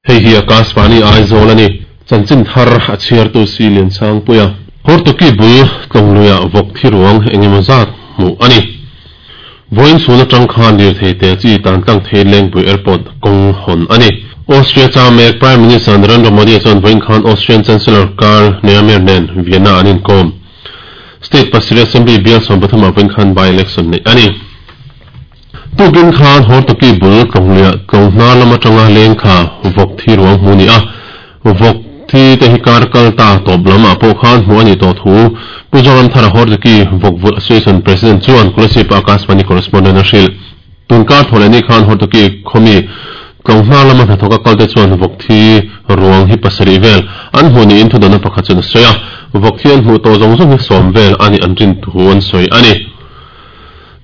Hei hi Akashvani Aizawl a ni. Chanchin thar a chhiartu Si Liansangpuia. Hortoki bul tlawngluiah vawk thi ruang engemaw zat hmuh a ni. Vawiin chhun atang khan lirthei te chi tan tlang thei Lengpui Airport kawng hawn a ni. Austria cha mek Prime Minister Narendra Modi chuan vawiin khan Austrian Chancellor Karl Nehammer nen Vienna an inkawm. State pasarih Assembly bial 13 ah vawiin khan by-election neih a ni. Tukin khan Hortoki bul tlawngluiah tlawng hnar lam atanga lengthla vawk thi ruang hmuh a ni a. Vawk thi te hi kar kal ta tawp lam ah pawh khan hmuh a nih tawh thu Pu Zoramthara Hortoki Vawk Vulh Association President chuan Kolasib Akashvani Correspondent a hrilh. Tun kar thaw leh ni khan Hortoki khawmi tlawng hnar lama hnathawk a kal te chuan vawk thi ruang hi pasarih vel an hmuh niin thudawnna pakhat chuan a sawi a. Vawk thi an hmuh tawh zawng zawng hi sawm vel a nih an rin thu an sawi a ni.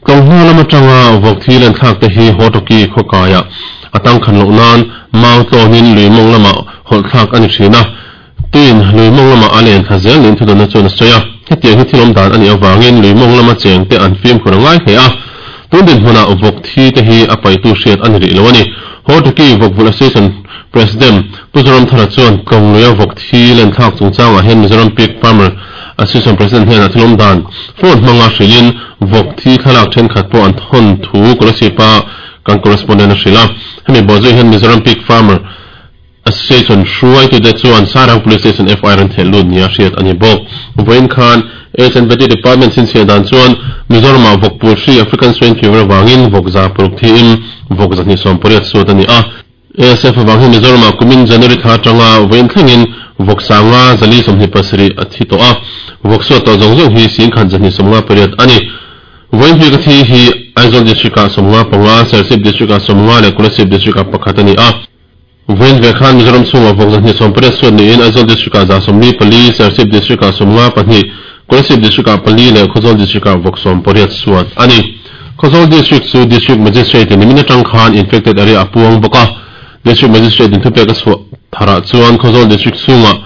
Tlawng hna lam atanga vawk thi len thlak te hi Hortoki khawkaiah a tangkhan loh nan mau tlawnin lui mawng lamah hawlh thlak a ni thin a, tuin lui mawng lamah a len thla zel niin thudawnna chuan a sawi a. Hetiang hi thil awm dan a nih avangin lui mawng lama cheng te an fimkhur a ngai hle a, tun dinhmunah vawk thi te hi a paihtu hriat a ni rih lo a ni. Hortoki Vawk Vulh Association President Pu Zoramthara chuan tlawng luia vawk thi len thlak chungchangah hian Mizoram Pig Farmer Association President hnenah thil awm dan phone hmanga hrilhin vawk thi thlalak thenkhat pawh an thawn thu Kolasib-a kan correspondent a hrilh a. Hemi bawhzui hian Mizoram Pig Farmer Association hruaitute chuan Sairang Police Station FIR an theh lut nia hriat a ni bawk. Vawiin khan H&V Department chhinchhiah dan chuan Mizoramah vawk pul hri African Swine Fever avangin vawk za paruk thiin vawk 280 suat a ni a. ASF avang hian Mizoramah kumin January thla atanga vawiin thlengin vawk sanga 427 a thi tawh a, vawk suat tawh zawng zawng hi 1258 a ni. Vawiin hmika thi hi Aizawl District-ah 55, Serchhip District-ah 50 leh Kolasib District-ah pakhat a ni a. Vawiin ve khan Mizoram chhungah vawk 280 suat niin Aizawl District-ah 144, Serchhip District-ah 52, Kolasib District-ah pali leh Khawzawl District-ah vawk 80 suat a ni. Khawzawl District chu District Magistrate-in nimin atang khan infected area a puang bawk a. District Magistrate-in thupek a chhuah tharah chuan Khawzawl District chhungah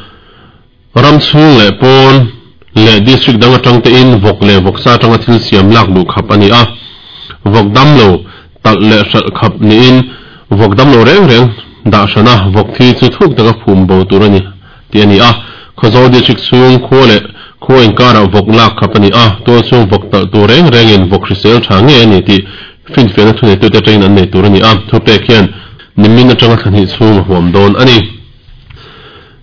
ram chhung leh pawn leh District dang atang tein vawk leh vawksa atanga thil siam lak luh khap a ni a. Vawk damlo talh leh hralh khap niin vawk damlo reng reng dah hrana vawk thi chu thuk taka phum bo tur a ni. tih a ni a. Khawzawl District chhung khua leh khua inkarah vawk lak khap a ni a, tual chhung vawk talh tur reng rengin vawk hrisel tha ngei a ni tih finfiahna thuneitute atangin an nei tur a ni a, thupek hian nimin atanga thla hnih chhung a huam dawn a ni.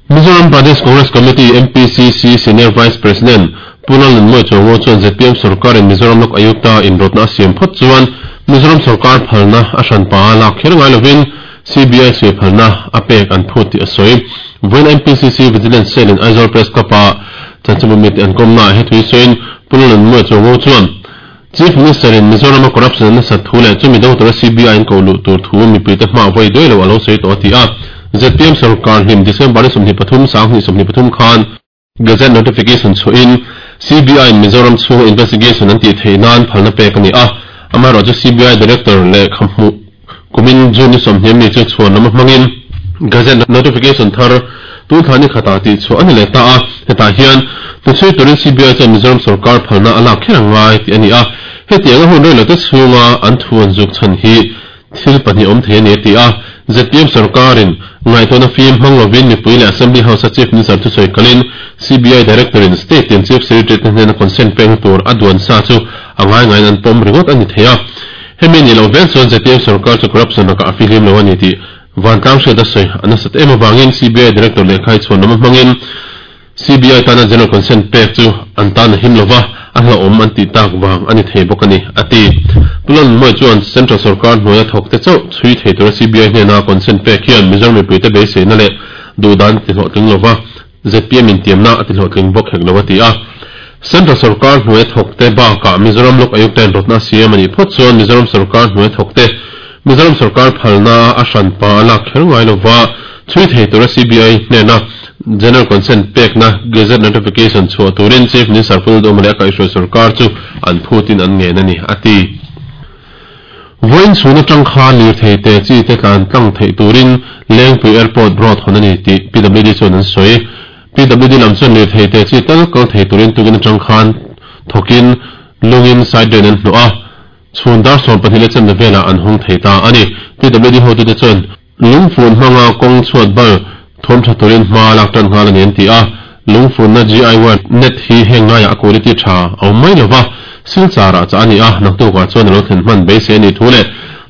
Mizoram Pradesh Congress Committee, MPCC, Senior Vice President Pu Lalnunmawia Chuango chuan zpm sorkarin Mizoram Lok Ayukta inrawtna a siam phawt chuan Mizoram sorkar phalna a hranpa a lak kher ngai lovin CBI chhui phalna a pek an phut tih a sawi. Vawiin MPCC Vigilance Cell in Aizawl Press Club-a chanchinbu mite an kawmnaah he thui sawiin Pu Lalnunmawia Chuango chuan Chief Minister in Mizoram-a corruption a nasat thu leh chumi do tura CBI an koh luh tur thu mipuite hma vawi duai lo a lo sawi tawh a ti a. Zpm sorkar hlim December ni 23, 2023 khan Gazette notification chhuahin CBI-in Mizoram chhunga investigation an tih theih nan phalna pek a ni a, amaherawhchu CBI Director lehkha hmuh kumin June ni 20 mi chu chhuan lama hmangin Gazette notification thar tun thla ni khatah tih chhuah a ni leh ta a, hetah hian hnuchhui turin CBI chuan Mizoram sorkar phalna a lak kher a ngai tih a ni a, hetianga hun reilote chhunga an thu an zuk chhan hi Thil pahnih awm thei a ni a ti a, zpm sorkarin ngaihtuahna fim hmang lovin mipui leh Assembly House-a Chief Minister thusawi kalin CBI Director-in State tin Chief Secretary-te hnena consent pekna tur a duan sa chu a ngai ngaiin an pawm ringawt a ni thei a. Hemi nih loh vel chuan zpm sorkar chu corruption lakah a fihlim lo a ni tih vantlang hriat a sawi a nasat em avangin CBI Director lehkha hi chhuan lama hmangin CBI tana general consent pek chu an tan a him lova, a hlauhawm an tih tak vang a ni thei bawk a ni, a ti. Pu Lalnunmawia chuan Central sorkar hnuaia thawk te chauh chhui thei tura CBI hnena consent pek hian Mizoram mipuite beiseina leh duhdan a ti hlawhtling lova, zpm intiamna a ti hlawhtling bawk hek lo a ti a. Central sorkar hnuaia thawk te bakah Mizoram Lok Ayukta in rawtna a siam a nih phawt chuan Mizoram sorkar hnuaia thawk te Mizoram sorkar phalna a hranpa a lak kher ngai lova, chhui thei tura CBI hnena General Consent pekna Gazette Notification chhuah turin Chief Minister Pu Duhoma leh a kaihhruai sorkar chu an phutin an ngen a ni, a ti. Vawiin chhun atang khan lirthei te chi te tlan tlang theih turin Lengpui Airport Road hawn a ni tih PWD chuan an sawi. PWD lam chuan lirthei te chi tal kal thei turin tukin atang khan thawkin lungin side drain an hnawh a. Chhun dar 12 leh chenna velah an hawng thei ta a ni. PWD hotute chuan. Lungfun hmanga kawng chhuat bal thawm tha turin hma lak tan nghal a ni an ti a. Lungfunna GI wire net hi heng ngaiah a quality tha a awm mai lova, Silchar ah chah a ni a, naktukah chuan a lo thlen hman beisei a nih thu leh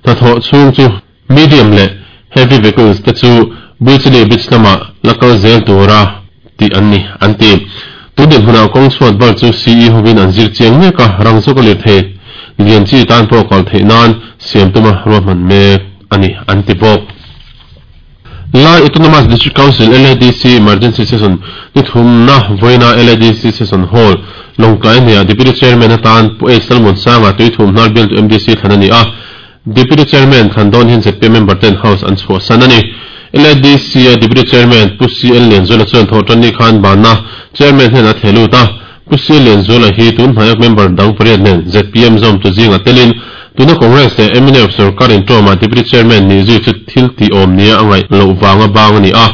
hnathawh chhung chu medium leh heavy vehicles te chu Buichili Beach lamah la kal zel tura tih an ni an ti. Tun dinhmunah kawng chhuat bal chu CE hovin an zir chiang mek a, rang zawk a lirthei lian chi tan pawh kal theih nan siam tuma ruahman mek a ni an ti bawk. Lai Autonomous District Council, LADC, Emergency Session ni thumna vawiina LADC Session Hall, Lawngtlai hneah Deputy Chairman atan Pu H Lalmuansanga Tuithum hnar bialtu MDC thlan a ni a. Deputy Chairman thlan dawn hian zpm member ten House an chhuahsan a ni. LADC-a Deputy Chairman Pu CL Lianzuala chuan thawhtanni khan banna Chairman hnenah a theh lut a. Pu CL Lianzuala hi tun hnaia member dang pariat nen zpm zawmtu zingah telin tuna Congress leh mnf sorkar intawmah Deputy Chairman nih zui chu thil tih awm nia a ngaih loh vanga bang a ni a.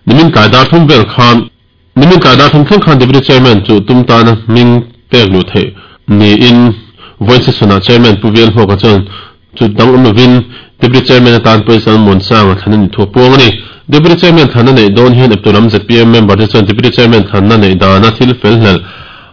Nimin tlai dar thum vel khan Nimin tlai dar thum thleng khan Deputy Chairman chu tum tana hming pek luh theih niin vawiin session-ah Chairman Pu Vial Hmuaka chuan chu dang awm lovin Deputy Chairman atan Pawisa Muansanga thlan a nih thu a puang a ni. Deputy Chairman thlanna neih dawn hian eptu lam zpm member te chuan Deputy Chairman thlanna neih dana thil fel hlelh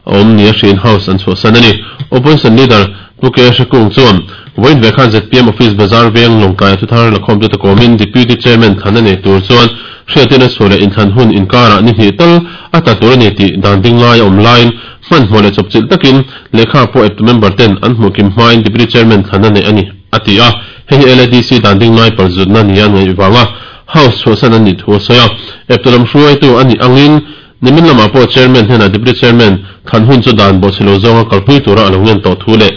a awm nia hriin House an chhuahsan a ni. Opposition Leader Pu K Hrekung chuan vawiin ve khan zpm Office Bazar veng Lawngtlai thuthar lakhawmte te kawmin Deputy Chairman thlanna nei tur chuan Hriattirna chhuah leh inthlan hun inkarah ni hnih tal a tla tur a ni tih dan ding lai a awm laiin hmanhmawh leh chawpchilh takin lehkha pawh eptu member ten an hmuh kim hmain Deputy Chairman thlanna neih a ni, a ti a. Hei hi LADC dan ding lai palzutna nia an ngaih vanga House chhuahsan an nih thu a sawi a. Eptu lam hruaitu a nih angin nimin lamah pawh Chairman hnenah Deputy Chairman thlan hun chu dan bawhchhe lo zawnga kalpui tura a lo ngen tawh thu leh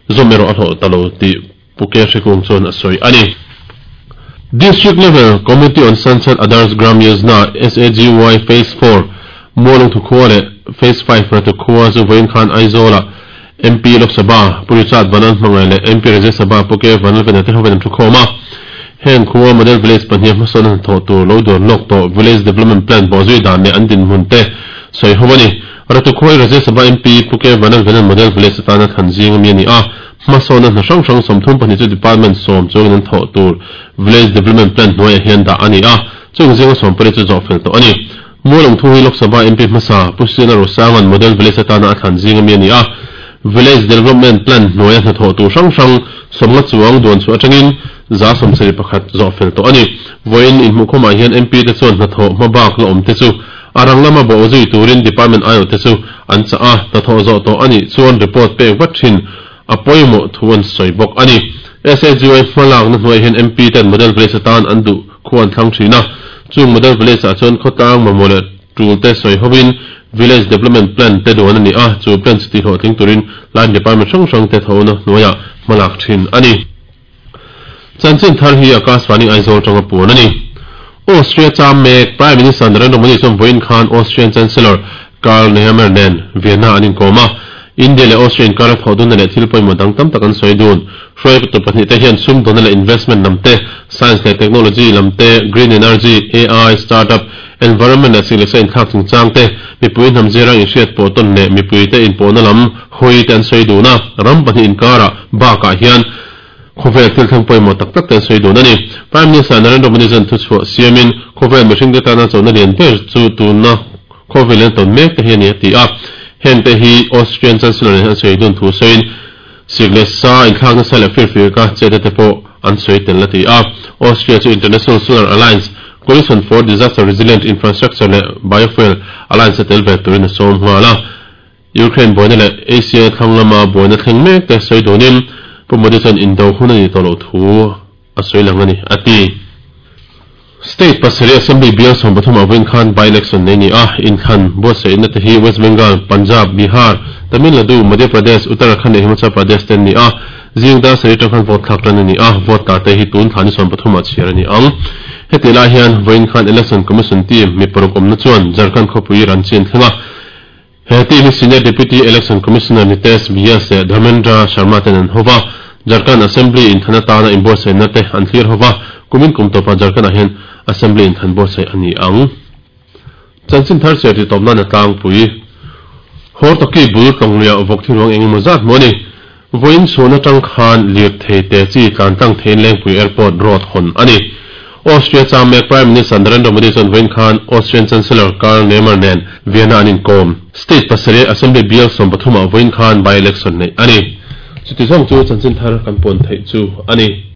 zawm erawh a hlawh ta lo tih Pu K Hrekung chuan a sawi a ni. District Level Committee on Sansad Adarsh Gram Yojana, SAGY, Phase 4, Mualung Thukhua leh Phase 5 Ratu khua chu vawiin khan Aizawlah MP Lok Sabha Pu Richard Vanal Hmangaih leh MP Rajya Sabha Pu K Vanlalvena te hovin an thukhawm a. Heng khua Model Village pahniha hmasawn a hnathawh tur lo duan lawk tawh Village Development Plan bawhzui dan leh an dinhmun te sawi ho a ni. Ratu khua hi Rajya Sabha MP Pu K Vanlalvena'n Model Village atana thlan zing ami a ni a. Hmasawnna hna hrang hrang 32 chu Department sawm chuangin an thawh tur Village Development Plan hnuaiah hian dah a ni a, chung zinga 18 chu zawh fel tawh a ni. Mualawngthu hi Lok Sabha MP hmasa Pu Sina Rosanga'n Model Village atana a thlan zing ami a ni a, Village Development Plan hnuaia hna thawh tur hrang hrang 50 chuang duan chhuah atangin 71% zawh fel tawh a ni. Vawiin inhmuhkhawmah hian MP te chuan hnathawh hmabak la awm te chu a rang lama bawh zui turin Department aiawh te chu an chah a, hnathawh zawh tawh a nih chuan report pek vat thin a pawimawh thu an sawi bawk a ni. SAGY hmalakna hnuaiah hian MP ten Model Village atan an duh khu an thlang thin a, chung Model Village ah chuan khawtlang mamawh leh tul te sawi hovin Village Development Plan te duan a ni a, chu plan chu tihhlawhtling turin line department hrang hrang te thawhna hnuaiah hmalak thin a ni. Chanchin thar hi Akashvani Aizawl tanga puan a ni. Austria cham mek Prime Minister Narendra Modi chuan vawiin khan Austrian Chancellor Karl Nehammer nen Vienna an inkawm a. India leh Austria inkara thawh dunna leh thil pawimawh dang tam tak an sawi dun. Hruaitu pahnihte hian sumdawnna leh investment lam te, science leh technology lam te, green energy, AI, startup, environment leh siglesa inthlak chungchang te, mipui hnam zirang inhriat pawh tawn leh mipuite inpawhna lam hawi te an sawi dun a. Ram pahnih inkara bakah hian Khawvel thil thleng pawimawh tak tak te an sawi dun a ni. Prime Minister Narendra Modi chuan thuchhuah siamin khawvel mihringte tana chona lian ber chu tuna khawvel in a tawn mek te hi a ni a ti a. Heng te hi Austrian Chancellor nen an sawi dun thu sawiin sik leh sa inthlak nasa leh firfir ka chetna te pawh an sawi tel a ti a. Austria chu International Solar Alliance, Coalition for Disaster Resilient Infrastructure leh Biofuel Alliance a tel ve turin a sawm nghal a. Ukraine buaina leh Asia thlang lama buaina thleng mek te sawi dunin Pu Modi chuan indo hun a nih tawh loh thu a sawi lang a ni, a ti. State pasarih Assembly bial 13 ah vawiin khan by-election nei ni a, inthlan buatsaihna te hi West Bengal, Punjab, Bihar, Tamil Nadu, Madhya Pradesh, Uttarakhand leh Himachal Pradesh te an ni a, zing dar sarih atang khan vote thlak tan a ni a, vote tla te hi tun thla ni 13 ah chhiar a ni ang. Hetih lai hian vawiin khan Election Commission team mi paruk awmna chuan Jharkhand khawpui Ranchi an thleng a, He team hi Senior Deputy Election Commissioner Nitesh Vyas leh Dharmendra Sharma ten an hova, Jharkhand Assembly inthlan atana inbuatsaihna te an thlir hova, kumin kum tawpah Jharkhand-ah hian Assembly inthlan buatsaih a ni ang. Chanchin thar chhiar tih tawp nan a tlangpui. Hortoki bul tlawngluiah vawk thi ruang eng emaw zat hmu a ni. Vawiin chhun atang khan lirthei te chi tlan tlang theiin Lengpui Airport road hawn a ni. Austria chang mek Prime Minister Narendra Modi chuan vawiin khan Austrian Chancellor Karl Nehammer nen Vienna an inkawm. State pasarih Assembly bial 13 ah vawiin khan by-election neih a ni. Chuti zawng chu chanchin thar kan puan theih chu a ni.